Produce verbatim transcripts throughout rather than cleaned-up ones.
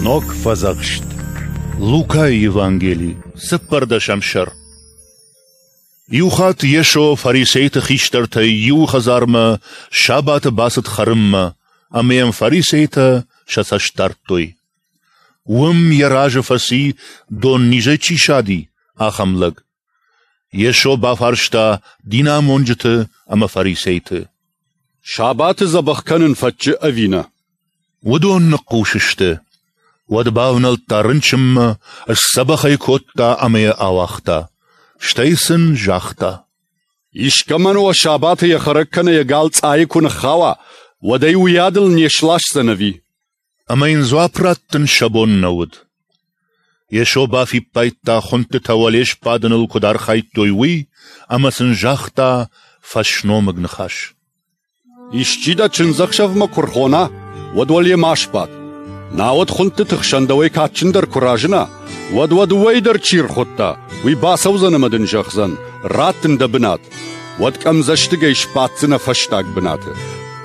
Ног Фӕдзӕхст. Лукайы Евангели, цыппӕрдӕсӕм сӕр. Иухатт Йесо фарисейты хистӕртӕй иуы хӕдзармӕ сабаты бацыд хӕрынмӕ, ӕмӕ йӕм фарисейтӕ сӕ цӕст дардтой. Уым йӕ разы фӕци, доннизӕй чи сади, ахӕм лӕг. Йесо бафарста динамонджыты ӕмӕ фарисейты: Сабаты дзӕбӕх кӕнын фӕтчы ӕви нӕ? Уыдон ныхъхъус сты. Уӕд бавнӕлдта рынчынмӕ, сдзӕбӕх ӕй кодта ӕмӕ йӕ ауагъта. Стӕй сын загъта: Искӕмӕн уӕ сабаты йӕ хӕрӕг кӕнӕ йӕ гал цъайы куы ныххауа, уӕд ӕй уыйадыл не сласдзӕн ӕви? Ӕмӕ йын дзуапп раттын сӕ бон нӕ уыд. Йесо бафиппайдта, хуындтытӕ уӕле сбадыныл куыд архайдтой, уый, ӕмӕ сын загъта фӕсномыг ныхас: Исчи дӕ чындзӕхсӕвмӕ куы рхона, уӕд уӕле ма сбад. Науӕд хуындтыты хсӕн дӕуӕй кадджындӕр куы разына, уӕд уӕ дыууӕйы дӕр чи рхуыдта, уый бацӕудзӕн ӕмӕ дын зӕгъдзӕн: ратт ын дӕ бынат. Уӕд къӕмдзӕстыгӕй сбаддзынӕ фӕстаг бынаты.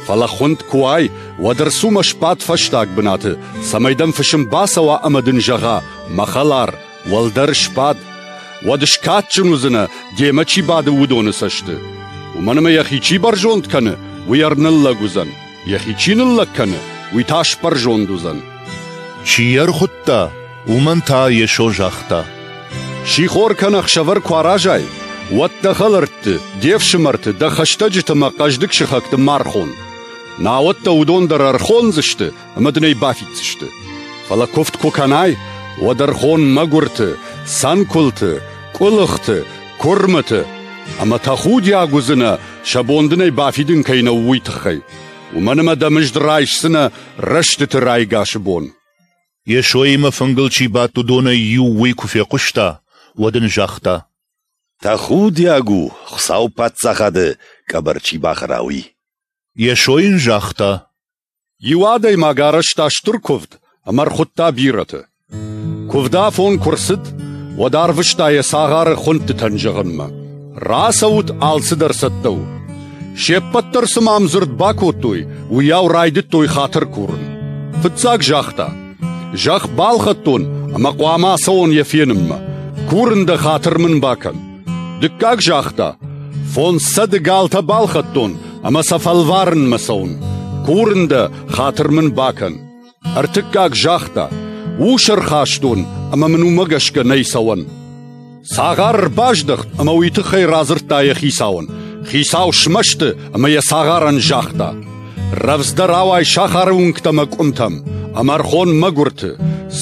Фӕлӕ хуынд куы уай, уӕд ӕрцу мӕ сбад фӕстаг бынаты, цӕмӕй дӕм фысым бацӕуа ӕмӕ дын зӕгъа: мӕ хӕлар, уӕлдӕр сбад. Уӕд скадджын уыдзынӕ, демӕ чи бады, уыдоны цӕсты. Уымӕн ӕмӕ йӕхи чи бӕрзонд кӕны, уый ӕрныллӕг уыдзӕн, йӕхи чи ныллӕг кӕны, уый та сбӕрзонд уыдзӕн. Чи йӕ ӕрхуыдта, уымӕн та Йесо загъта: Сихор кӕнӕ ӕхсӕвӕр куы аразай, уӕд дӕ хӕлӕртты, де фсымӕрты, дӕ хӕстӕджыты ӕмӕ хъӕздыг сыхӕгты ма рхон. Науӕд дӕ уыдон дӕр ӕрхондзысты ӕмӕ дын ӕй бафиддзысты. Фӕлӕ куывд куы кӕнай, уӕд ӕрхон мӕгуырты, цӕнкуылты, къуылыхты, куырмыты, ӕмӕ тӕхудиаг уыдзынӕ, сӕ бон дын ӕй бафидын кӕй нӕу, уый тыххӕй. Уымӕн ӕмӕ дӕ мызд райсдзынӕ рӕстыты райгасы бон. Йесоимӕ фынгыл чи бадт, уыдонӕй иу уый куы фехъуыста, уӕд ын загъта: Тӕхудиаг у, Хуыцауы паддзахады къӕбӕр чи бахӕра, уый. Йесо йын загъта: Иу адӕймаг арӕзта стыр куывд ӕмӕ ӕрхуыдта бирӕты. Куывды афон куы рцыд, уӕд арвыста йӕ цагъары хуындтытӕн зӕгъынмӕ: рацӕут, алцыдӕр цӕттӕ у. Се ппӕт дӕр цыма ӕмдзырд бакодтой, уыйау райдыдтой хатыр курын. Фыццаг загъта: зӕхх балхӕдтон ӕмӕ хъуамӕ ацӕуон йӕ фенынмӕ. Курын дӕ, хатыр мын бакӕн. Дыккаг загъта: фондз сӕды галтӕ балхӕдтон ӕмӕ сӕ фӕлварынмӕ цӕуын. Курын дӕ, хатыр мын бакӕн. Ӕртыккаг загъта: ус ӕрхастон ӕмӕ мын уымӕ гӕсгӕ нӕй цӕуӕн. Цагъар ӕрбаздӕхт ӕмӕ уый тыххӕй радзырдта йӕ хицауӕн. Хицау смӕсты ӕмӕ йӕ цагъарӕн загъта: рӕвдздӕр ауай сахары уынгтӕм ӕмӕ къуымтӕм, ӕмӕ ӕрхон мӕгуырты,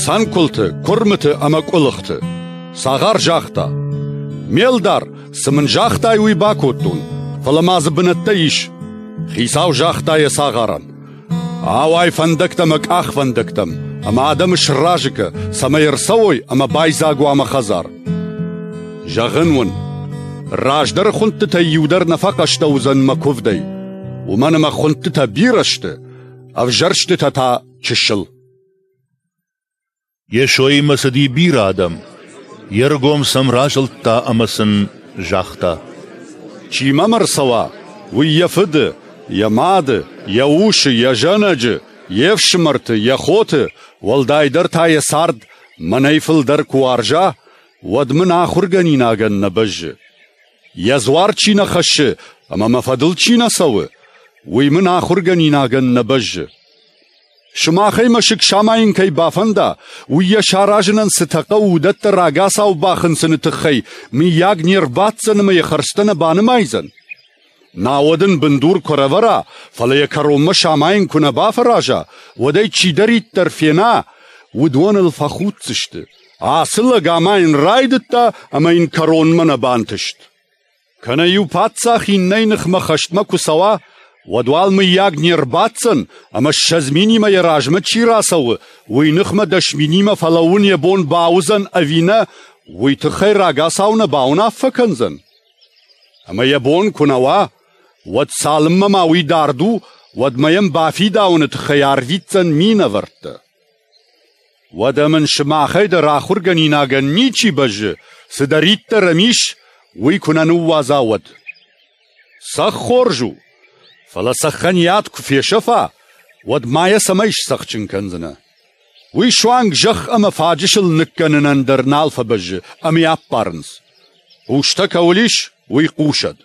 цӕнкуылты, куырмыты ӕмӕ къуылыхты. Цагъар загъта: ме лдар, цы мын загътай, уый бакодтон, фӕлӕ ма дзы бынӕттӕ ис. Хицау загъта йӕ цагъарӕн: ауай фӕндӕгтӕм ӕмӕ къахвӕндӕгтӕм, ӕмӕ адӕмы сразы кӕ, цӕмӕй ӕрцӕуой ӕмӕ байдзаг уа мӕ хӕдзар. Зӕгъын уын, раздӕры хуындтытӕй иу дӕр нӕ фӕхъӕстӕ уыдзӕн мӕ куывдӕй, уымӕн ӕмӕ хуындтытӕ бирӕ сты, ӕвзӕрстытӕ та чысыл. Йесоимӕ цыди бирӕ адӕм. Йе ргом сӕм разылдта ӕмӕ сын загъта: Чи мӕм ӕрцӕуа, уый йӕ фыды, йӕ мады, йӕ усы, йӕ зӕнӕджы, йе фсымӕрты, йӕ хоты, уӕлдайдӕр та йӕ цард мӕнӕй фылдӕр куы уарза, уӕд мын ахуыргӕнинагӕн нӕ бӕззы. Йӕ дзуар чи нӕ хӕссы ӕмӕ мӕ фӕдыл чи нӕ цӕуы, уый мын ахуыргӕнинагӕн нӕ бӕззы. Сымахӕй мӕсыг самайын кӕй бафӕнда, уый йӕ саразынӕн цытӕ хъӕуы, уыдӕттӕ рагацау бахынцыны тыххӕй мыййаг не рбаддзӕн ӕмӕ йӕ хӕрзтӕ нӕ банымайдзӕн? Науӕд ын бындур куы ӕрӕвӕра, фӕлӕ йӕ кӕронмӕ самайын куы нӕ бафӕраза, уӕд ӕй чидӕриддӕр фена, уыдон ыл фӕхуддзысты. Ацы лӕг амайын райдыдта ӕмӕ йын кӕронмӕ нӕ бантыст. Кӕнӕ иу паддзах иннӕйы ныхмӕ хӕстмӕ куы цӕуа, уӕд уал мыййаг не рбаддзӕн, ӕмӕ ссӕдз минимӕ йӕ размӕ чи рацӕуы, уый ныхмӕ дӕс минимӕ фӕлӕууын йӕ бон бауыдзӕн ӕви нӕ, уый тыххӕй рагацау нӕ бауынаффӕ кӕндзӕн? Ӕмӕ йӕ бон куы нӕ уа, уӕд цалынмӕ ма уый дард у, уӕдмӕ йӕм бафидауыны тыххӕй арвитдзӕн минӕвӕрттӕ. Уӕдӕ мын сымахӕй дӕр ахуыргӕнинагӕн ничи бӕззы, цыдӕриддӕр ӕм ис, уый куы нӕ ныууадза, уӕд. Цӕхх хорз у, фӕлӕ цӕххӕн йӕ ад куы фесӕфа, уӕд ма йӕ цӕмӕй сцӕхджын кӕндзынӕ? Уый суанг зӕхх ӕмӕ фаджысыл ныккӕнынӕн дӕр нал фӕбӕззы ӕмӕ йӕ аппарынц. Хъустӕ кӕуыл ис, уый хъусӕд.